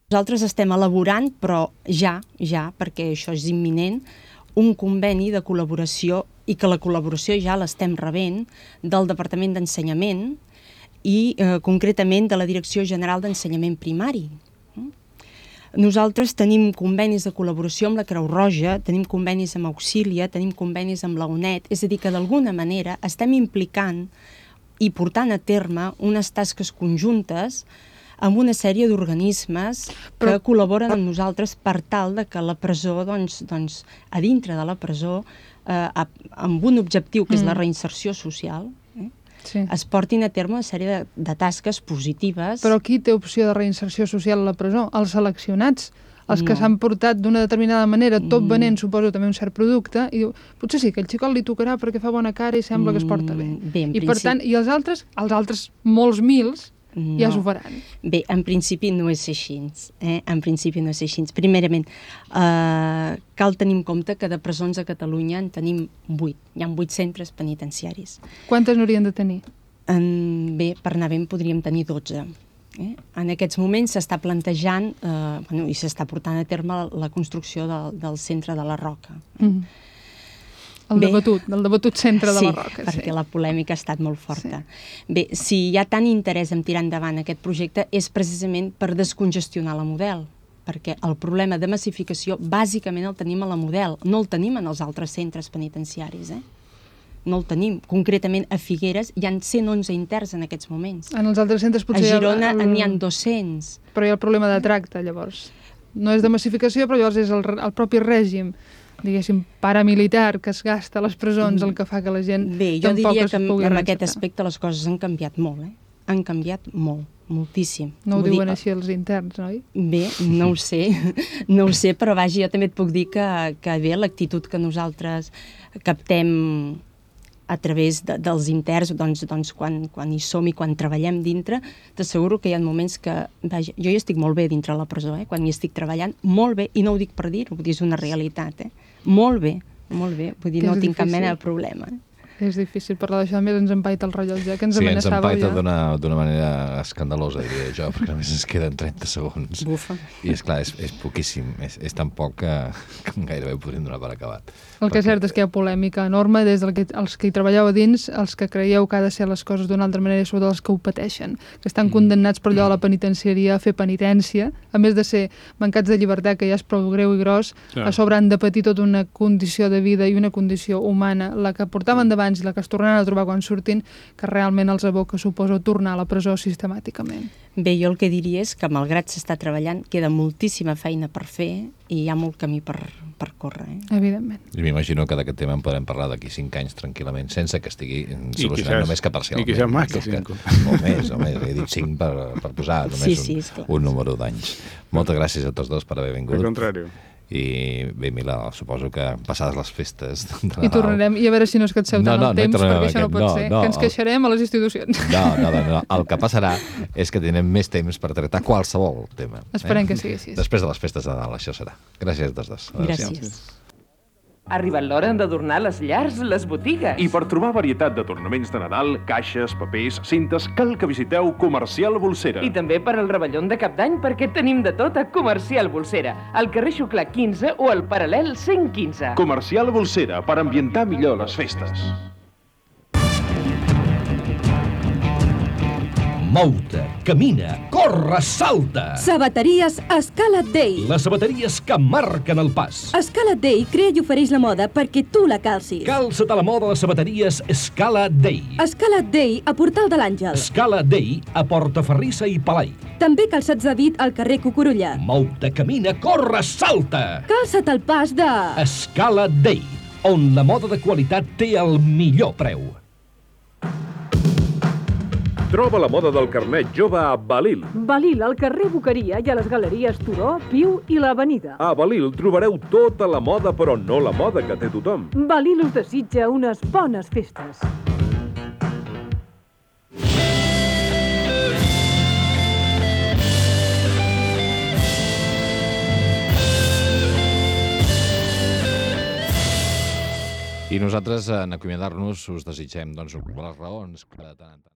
Nosaltres estem elaborant, però ja, perquè això és imminent, un conveni de col·laboració, i que la col·laboració ja l'estem rebent, del Departament d'Ensenyament i concretament de la Direcció General d'Ensenyament Primari. Nosaltres tenim convenis de col·laboració amb la Creu Roja, tenim convenis amb Auxília, tenim convenis amb la UNED, és a dir, que d'alguna manera estem implicant i portant a terme unes tasques conjuntes amb una sèrie d'organismes que col·laboren amb nosaltres per tal de que la presó, doncs, a dintre de la presó, amb un objectiu que és la reinserció social, es portin a terme una sèrie de tasques positives. Però qui té opció de reinserció social a la presó? Els seleccionats, els que s'han portat d'una determinada manera, tot venent, suposo, també un cert producte, i diu, potser sí, que el xicot li tocarà perquè fa bona cara i sembla que es porta bé. I per tant, i els altres molts mils, ja s'ho faran. Bé, en principi no és així. En principi no és així. Primerament, cal tenir en compte que de presons a Catalunya en tenim 8. Hi ha 8 centres penitenciaris. Quantes n'haurien de tenir? Bé, per anar bé en podríem tenir 12. En aquests moments s'està plantejant i s'està portant a terme la construcció del centre de la Roca. El debatut centre de la Roca. Sí, perquè la polèmica ha estat molt forta. Bé, si hi ha tant interès en tirar endavant aquest projecte és precisament per descongestionar la Model, perquè el problema de massificació bàsicament el tenim a la Model, no el tenim en els altres centres penitenciaris, no el tenim. Concretament a Figueres hi ha 111 interns en aquests moments. En els altres centres potser... A Girona n'hi ha 200. Però hi ha el problema de tracte, llavors. No és de massificació, però llavors és el propi règim, diguéssim, paramilitar que es gasta a les presons el que fa que la gent tampoc es pugui... Bé, jo diria que en aquest aspecte les coses han canviat molt, Han canviat molt, moltíssim. No ho diuen així els interns, oi? Bé, no ho sé, però vaja, jo també et puc dir que bé, l'actitud que nosaltres captem a través dels interns, doncs quan hi som i quan treballem dintre, t'asseguro que hi ha moments que, vaja, jo hi estic molt bé dintre la presó, quan hi estic treballant, molt bé, i no ho dic per dir-ho, vull dir, és una realitat, molt bé, vull dir, no tinc cap mena de problema. És difícil parlar d'això, a més ens empaita el rellotge, que ens amenaçava ja. Sí, ens empaita d'una manera escandalosa, diria jo, perquè només ens queden 30 segons. Bufa. I és clar, és poquíssim, és tan poc que gairebé ho podríem donar per acabat. El que és cert és que hi ha polèmica enorme des dels que hi treballeu a dins, els que creieu que ha de ser les coses d'una altra manera, i sobretot els que ho pateixen, que estan condemnats per allò a la penitenciaria a fer penitència, a més de ser mancats de llibertat, que ja és prou greu i gros, a sobre han de patir tota una condició de vida i una condició humana, la que portaven davant i la que es tornaran a trobar quan surtin, que realment els aboca, suposo, tornar a la presó sistemàticament. Bé, jo el que diria és que, malgrat s'està treballant, queda moltíssima feina per fer i hi ha molt camí per córrer. Evidentment. I m'imagino que d'aquest tema en podrem parlar d'aquí 5 anys tranquil·lament, sense que estigui solucionat només que parcialment. I quizás más que 5. Molt més, he dit 5 per posar només un número d'anys. Moltes gràcies a tots dos per haver vingut. Al contrari. I bé, Milà, suposo que passades les festes de Nadal... I tornarem, i a veure si no es canseu tant el temps, perquè això no pot ser, que ens queixarem a les institucions. No, el que passarà és que tindrem més temps per tractar qualsevol tema. Esperem que sigui així. Després de les festes de Nadal, això serà. Gràcies a tots dos. Gràcies. Ha arribat l'hora d'adornar les llars, les botigues. I per trobar varietat de tornaments de Nadal, caixes, papers, cintes, cal que visiteu Comercial Bolsera. I també per al rebellón de Cap d'Any, perquè tenim de tot a Comercial Bolsera, al carrer Xuclà 15 o al Paral·lel 115. Comercial Bolsera, per ambientar millor les festes. Mou-te, camina, corre, salta! Sabateries Escala Day. Les sabateries que marquen el pas. Escala Day crea i ofereix la moda perquè tu la calcis. Calça't a la moda a les sabateries Escala Day. Escala Day a Portal de l'Àngel. Escala Day a Portaferrissa i Palai. També calçats de dit al carrer Cucurulla. Mou-te, camina, corre, salta! Calça't al pas de... Escala Day, on la moda de qualitat té el millor preu. Troba la moda del carnet jove a Balil. Balil, al carrer Boqueria i a les galeries Turó, Piu i l'Avenida. A Balil trobareu tota la moda, però no la moda que té tothom. Balil us desitja unes bones festes. I nosaltres, en acomiadar-nos, us desitgem, doncs, les raons que de tant en tant...